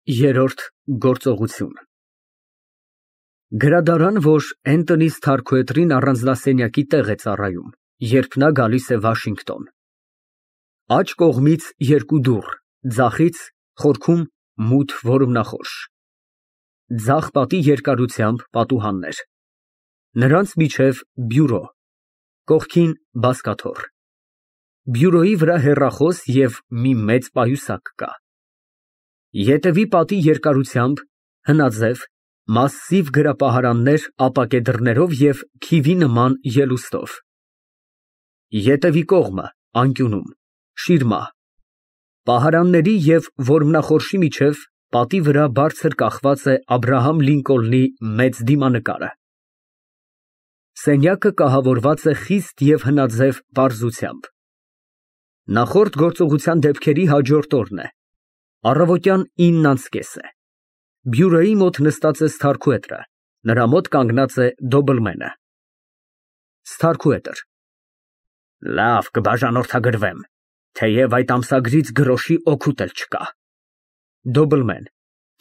Երրորդ գործողություն Գրադարան, որ Էնթոնի Սթարքուետրին առանձնասենյակի տեղ է ծառայում, երբ նա գալիս է Վաշինգտոն։ Աջ կողմից երկու դուռ, ձախից խորքում մութ որմնախորշ։ Ձախ պատի երկարությամբ պատուհաններ։ Նրանց միջև բյուրո, կողքին բազկաթոռ։ Բյուրոյի վրա հեռախոս և մի մեծ պայուսակ կա։ Ետևի պատի երկարությամբ հնաձև, մասսիվ գրապահարաններ ապակե դռներով և քիվի նման ելուստով։ Ետևի կողմը անկյունում շիրմա։ Պահարանների և որմնախորշի միջև պատի վրա բարձր կախված է Աբրահամ Լինկոլնի մեծ դիմանկարը։ Սենյակը կահավորված է խիստ և հնաձև պարզությամբ։ Նախորդ գործողության դեպքերի հաջորդ օրն է։ Առավոտյան 9:30 է։ Բյուրոյի մոտ նստած է Սթարքուետրը, նրա մոտ կանգնած է Դոբլմենը։ Սթարքուետր Լավ, կբաժանորդագրվեմ, թեև այդ ամսագրից գրոշի օգուտ էլ չկա։ Դոբլմեն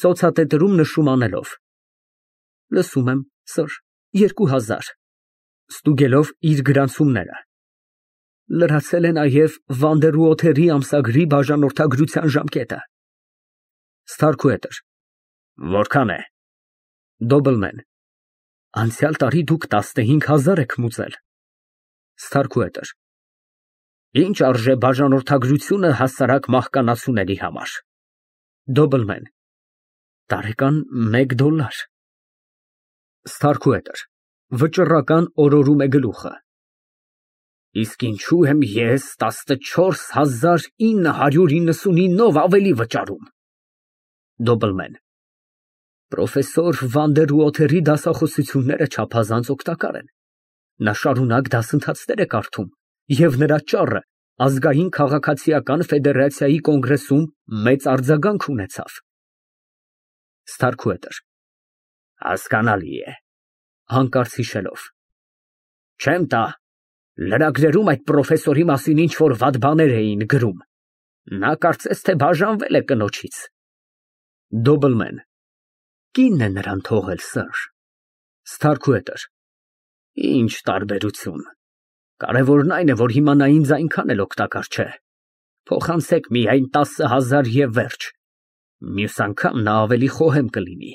ծոցատետրում նշում անելով։ Լսում եմ, սըր, 2000 ստուգելով իր գրանցումները։ Լրացել է նաև Վանդերուոթերի ամսագրի բաժանորդագրության ժամկետը։ Սթարքուետր Որքան է։ Դոբլմեն Անցյալ տարի դուք 15000 եք մուծել։ Սթարքուետր Ինչ արժե բաժանորդագրությունը հասարակ մահկանացուների համար։ Դոբլմեն Տարեկան $1։ Սթարքուետր Վճռական օրորում է գլուխը։ Իսկ ինչու եմ ես 14999-ով ավելի վճարում։ Դոբլմեն Պրոֆեսոր Վանդերուոթերի դասախոսությունները չափազանց օգտակար են։ Նա շարունակ դասընթացներ է կարդում, և նրա ճառը ազգային քաղաքացիական ֆեդերացիայի կոնգրեսում մեծ արձագանք ունեցավ։ Սթարքուետր Հասկանալի է։ Հանկարծ հիշելով Չեմ տա, լրագրերում այդ պրոֆեսորի մասին ինչ֊որ վատ բաներ էին գրում։ Նա կարծես թե բաժանվել է կնոջից։ Դոբլմեն Կինն է նրան թողել, սըր։ Սթարքուետր Ինչ տարբերություն։ Կարևորն այն է, որ հիմա նա ինձ այնքան էլ օգտակար չէ։ Փոխանցեք միայն 10000 և վերջ։ Մյուս անգամ նա ավելի խոհեմ կլինի։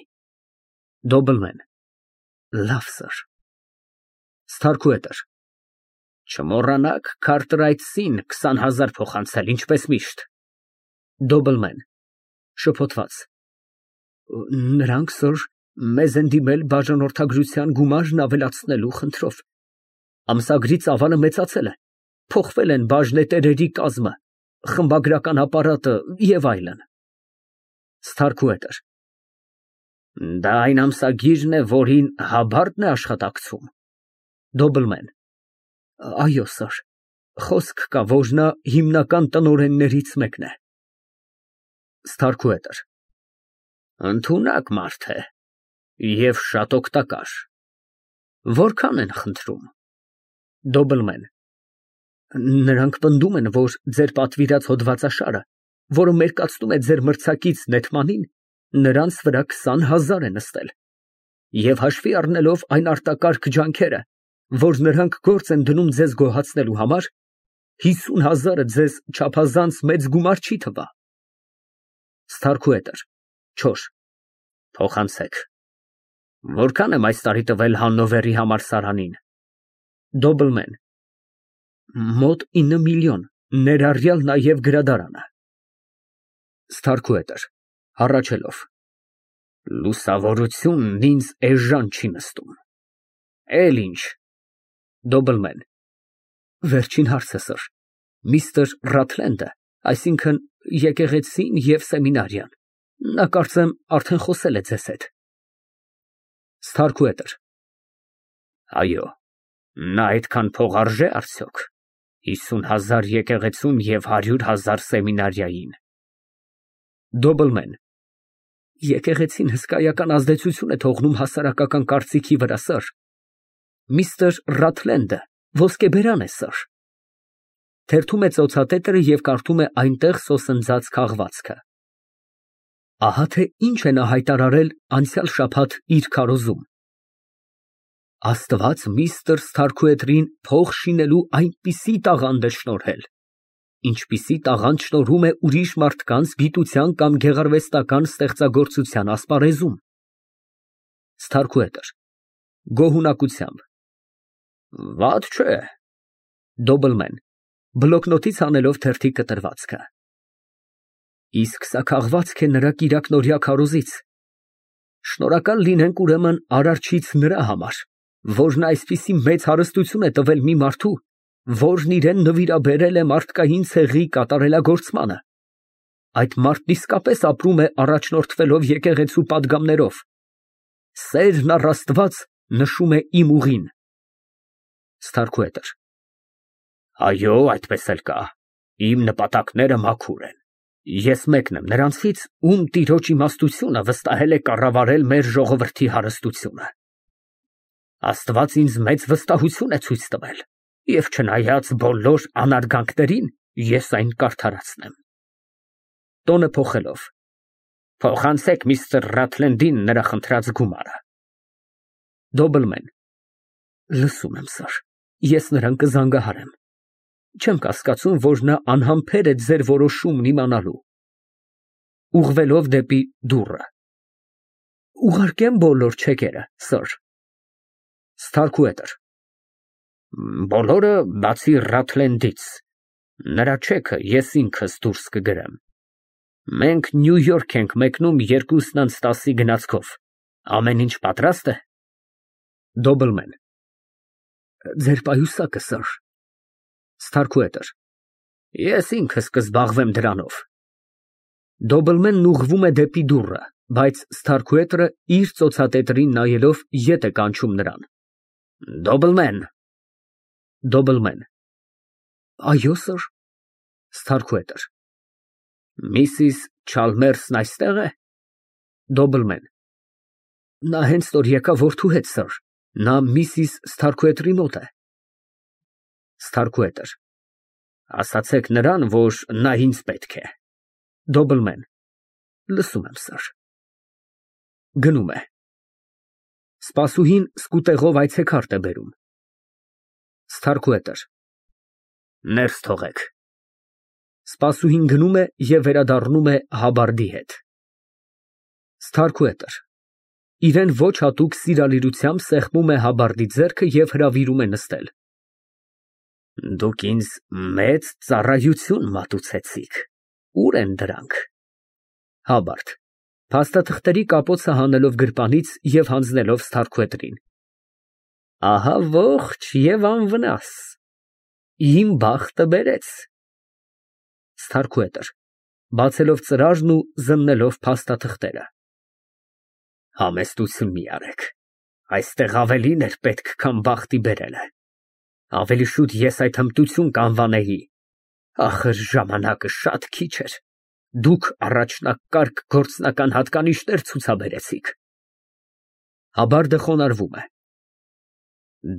Դոբլմեն Լավ, սըր։ Սթարքուետր Չմոռանաք Քարտրայթսին 20000 փոխանցել, ինչպես միշտ։ Դոբլմեն (շփոթված) Նրանք, սըր, մեզ են դիմել բաժանորդագրության գումարն ավելացնելու խնդրով։ Ամսագրի ծավալը մեծացել է, փոխվել են բաժնետերերի կազմը, խմբագրական ապարատը և այլն։ Սթարքուետր Դա այն ամսագիրն է, որին Հաբարդն է աշխատակցում։ Դոբլմեն Այո, սըր, խոսք կա, որ նա հիմնական տնօրեններից մեկն է։ Սթարքուետր Ընդունակ մարդ է և շատ օգտակար։ Որքան են խնդրում։ Դոբլմեն Նրանք պնդում են, որ ձեր պատվիրած հոդվածաշարը, որը մերկացնում է ձեր մրցակից Նեթմանին, նրանց վրա 20000 է նստել, և հաշվի առնելով այն արտակարգ ջանքերը, որ նրանք գործ են դնում ձեզ գոհացնելու համար, 50000-ը ձեզ չափազանց մեծ գումար չի թվա։ Սթարքուետր Չոր Փոխանցեք։ Որքան եմ այս տարի տվել Հաննովերի համալսարանին։ Դոբլմեն Մոտ 9 միլիոն, ներառյալ նաև գրադարանը։ Սթարքուետր (հառաչելով) Լուսավորությունն ինձ էժան չի նստում։ Էլ ինչ։ Դոբլմեն Վերջին հարցը, սըր, միստր Ռաթլենդը, այսինքն եկեղեցին և սեմինարիան, նա կարծեմ արդեն խոսել է ձեզ հետ։ Սթարքուետր Այո, նա այդքան փող արժե՞ արդյոք, 50000 եկեղեցուն և 100,000 սեմինարիային։ Դոբլմեն Եկեղեցին հսկայական ազդեցություն է թողնում հասարակական կարծիքի վրա, սըր։ Միստր Ռաթլենդը ոսկեբերան է, սըր։ Թերթում է ծոցատետրը և կարդում է այնտեղ սոսնձած քաղվածքը։ Ահա թե ինչ է նա հայտարարել անցյալ շաբաթ իր քարոզում. Աստված միստր Սթարքուեթրին փող շինելու այնպիսի տաղանդ է շնորհել, ինչպիսի տաղանդ շնորհում է ուրիշ մարդկանց գիտության կամ գեղարվեստական ստեղծագործության ասպարեզում։ Սթարքուետր գոհունակությամբ։ Վատ չէ։ Դոբլմեն բլոկնոտից անելով թերթի կտրվածքը։ Իսկ սա քաղվածք է նրա կիրակնօրյա քարոզից։ Շնորհակալ լինենք ուրեմն Արարչից նրա համար, որն այսպիսի մեծ հարստություն է տվել մի մարդու, որն իրեն նվիրաբերել է մարդկային ցեղի կատարելագործմանը։ Այդ մարդն իսկապես ապրում է առաջնորդվելով եկեղեցու պատգամներով։ Սերն առ Աստված նշում է իմ ուղին։ Սթարքուետր այո, այդպես էլ կա։ Իմ նպատակները մաքուր են։ Ես մեկն եմ նրանցից, ում տիրոջ իմաստությունը վստահել է կառավարել մեր ժողովրդի հարստությունը։ Աստված ինձ մեծ վստահություն է ցույց տվել, եւ չնայած բոլոր անարգանքներին, ես այն կարդարացնեմ։ Տոնը փոխելով։ Փոխանցեք միստր Ռաթլենդին նրա խնդրած գումարը։ Դոբլմեն լսում եմ, սար, ես նրան կզանգահարեմ։ Չեմ կասկածում, որ նա անհամբեր է ձեր որոշումն իմանալու։ Ուղղվելով դեպի դուռը։ Ուղարկեմ բոլոր չեկերը, սր։ Սթարքուետր բոլորը բացի Ռաթլենդից։ Նրա չեքը ես ինքս դուրս կգրեմ։ Մենք Նյու Յորք ենք մեկնում 2:10 գնացքով։ Ամեն ինչ պատրաստ է։ Դոբլմեն ձեր պայուսակը, սր։ Սթարքուետր ես ինքս կզբաղվեմ դրանով։ Դոբլմենն ուղղվում է դեպի դուռը, բայց Սթարքուետրը իր ծոցատետրին նայելով ետ է կանչում նրան։ Դոբլմեն։ Դոբլմեն այո, սր։ Սթարքուետր Միսիս Չալմերսն այստեղ է։ Դոբլմեն նա հենց որ եկավ որդու հետ, սր։ Նա միսիս Սթարքուետրի մոտ է։ Սթարքուետր ասացեք նրան, որ նա ինձ պետք է։ Դոբլմեն լսում եմ, սր։ Գնում է։ Սպասուհին սկուտեղով այցեքարտ է բերում։ Սթարքուետր ներս թողեք։ Սպասուհին գնում է և վերադառնում է Հաբարդի հետ։ Սթարքուետր իրեն ոչ հատուկ սիրալիրությամբ սեղմում է Հաբարդի ձեռքը և հրավիրում է նստել։ Դուք ինձ մեծ ծառայություն մատուցեցիք։ Ուր են դրանք։ Հաբարդ փաստաթղթերի կապոցը հանելով գրպանից և հանձնելով Սթարքուետրին։ Ահա ողջ և անվնաս։ Իմ բախտը բերեց։ Սթարքուետր բացելով ծրարն ու զննելով փաստաթղթերը։ Համեստություն մի արեք։ Այստեղ ավելին էր պետք, քան բախտի բերելը։ Ավելի շուտ ես այդ հմտություն կանվանեի։ Ախր ժամանակը շատ քիչ էր։ Դուք առաջնակարգ գործնական հատկանիշներ ցուցաբերեցիք։ Հաբարդը խոնարհվում է։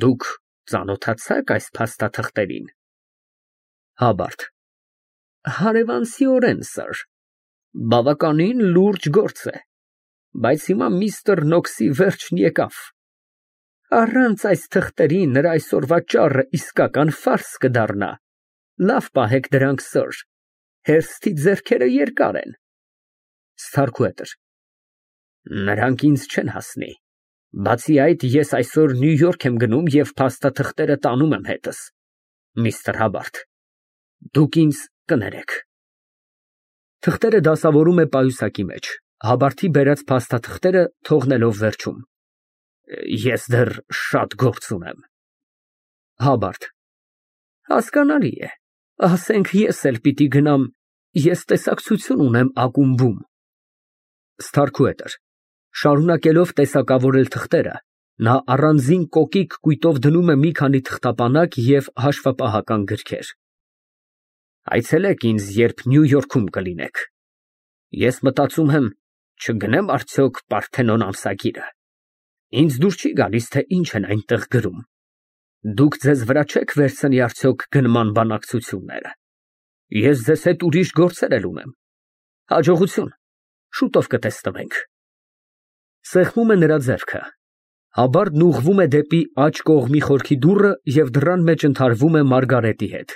Դուք ծանոթացաք այս փաստաթղթերին։ Հաբարդ հարևանցիորեն, սր։ Բավականին լուրջ գործ է։ Բայց հիմա միստր Նոքսի վերջն եկավ։ Առանց այս թղթերի նրա այսօրվա ճառը իսկական ֆարս կդառնա։ Լավ պահեք դրանք, սր։ Հերթի ձեռքերը երկար են։ Սթարքուետր նրանք ինձ չեն հասնի։ Բացի այդ, ես այսօր Նյու Յորք եմ գնում և փաստաթղթերը տանում եմ հետս։ Միստր Հաբարդ դուք ինձ կներեք։ Թղթերը դասավորում է պայուսակի մեջ, Հաբարդի բերած փաստաթղթերը թողնելով վերջում։ Ես դեռ շատ գործ ունեմ։ Հաբարդ հասկանալի է։ Ասենք ես էլ պիտի գնամ, ես տեսակցություն ունեմ ակումբում։ Սթարքուետր շարունակելով տեսակավորել թղթերը, նա առանձին կոկիկ կույտով դնում է մի քանի թղթապանակ և հաշվապահական գրքեր։ Այցելեք ինձ, երբ Նյու Յորքում կլինեք։ Ես մտածում եմ, չգնեմ արդյոք Պարթենոն ամսագիրը։ Ինձ դուր չի գալիս, թե ինչ են այնտեղ գրում։ Դուք ձեզ վրա չեք վերցնի արդյոք գնման բանակցությունները։ Ես ձեզ հետ ուրիշ գործեր էլ ունեմ։ Հաջողություն։ Շուտով կտեսնվենք։ Սեղմում է նրա ձեռքը։ Հաբարդն ուղղվում է դեպի աջ կողմի խորքի դուռը և դռան մեջ ընդհարվում է Մարգարետի հետ։